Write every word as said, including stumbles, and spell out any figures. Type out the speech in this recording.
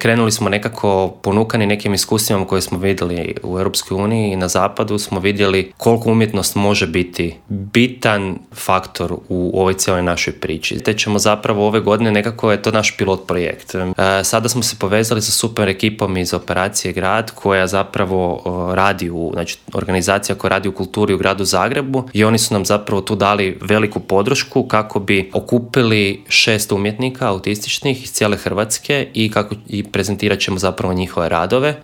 Krenuli smo nekako ponukani nekim iskustvima koje smo vidjeli u Europskoj uniji i na zapadu smo vidjeli koliko umjetnost može biti bitan faktor u ovoj cijeloj našoj priči. Te ćemo zapravo ove godine, nekako je to naš pilot projekt. E, sada smo se povezali sa super ekipom iz Operacije Grad koja zapravo o, radi u, znači organizacija koja radi u kulturi u gradu Zagrebu i oni su nam zapravo tu dali veliku podršku kako bi okupili šest umjetnika autističnih iz cijele Hrvatske i kako i prezentirat ćemo zapravo njihove radove.